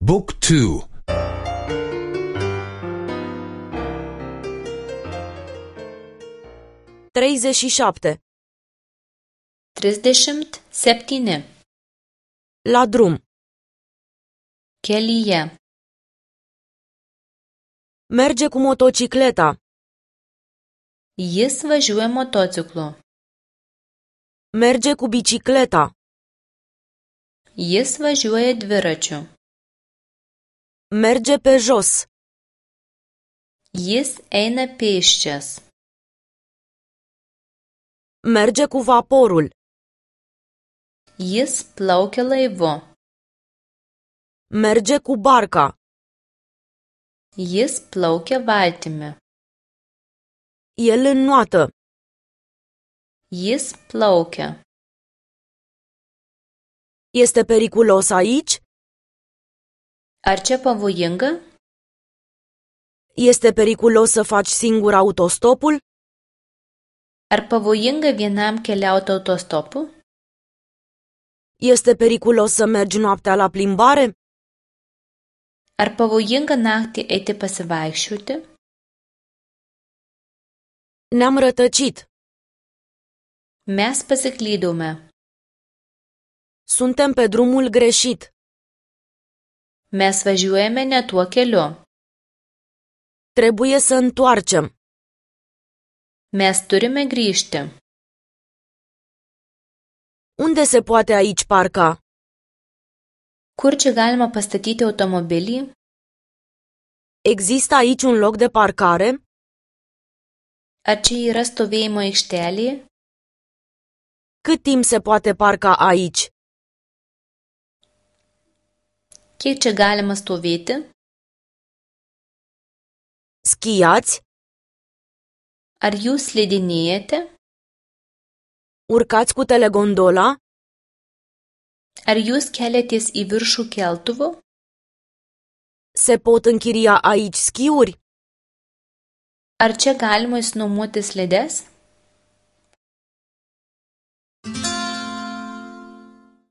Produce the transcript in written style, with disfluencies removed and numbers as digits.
Book 2. 37. 37. La drum. Kelyje. Merge cu motocicleta. Jis važiuoja motociklu. Merge cu bicicleta. Jis važiuoja dviračiu. Merge pe jos. Jis eina pėsčias. Merge cu vaporul. Jis plaukia laivu. Merge cu barca. Jis plaukia valtimi. El înnoată. Jis plaukia. Este periculos aici? Ar čia pavojinga? Este periculos să faci singur autostopul? Ar pavojinga vienam keliauti autostopu? Este periculos să mergi noaptea la plimbare? Ar pavojinga naktį eiti pasivaikščioti? Ne-am rătăcit. Mes pasiklydome. Suntem pe drumul greșit. Mes važiuojame ne tuo keliu. Trebuie să întoarcem. Mes turime grįžti. Unde se poate aici parca? Kur čia galima pastatyti automobilį? Există aici un loc de parcare? Ar čia yra stovėjimo aikštelė? Cât timp se poate parca aici? Kiek čia galima stovėti? Schiați? Ar jūs slidinėjate? Urcați cu telegondola? Ar jūs keliatės į viršų keltuvu? Se pot închiria aici schiuri? Ar čia galima išsinuomoti slides?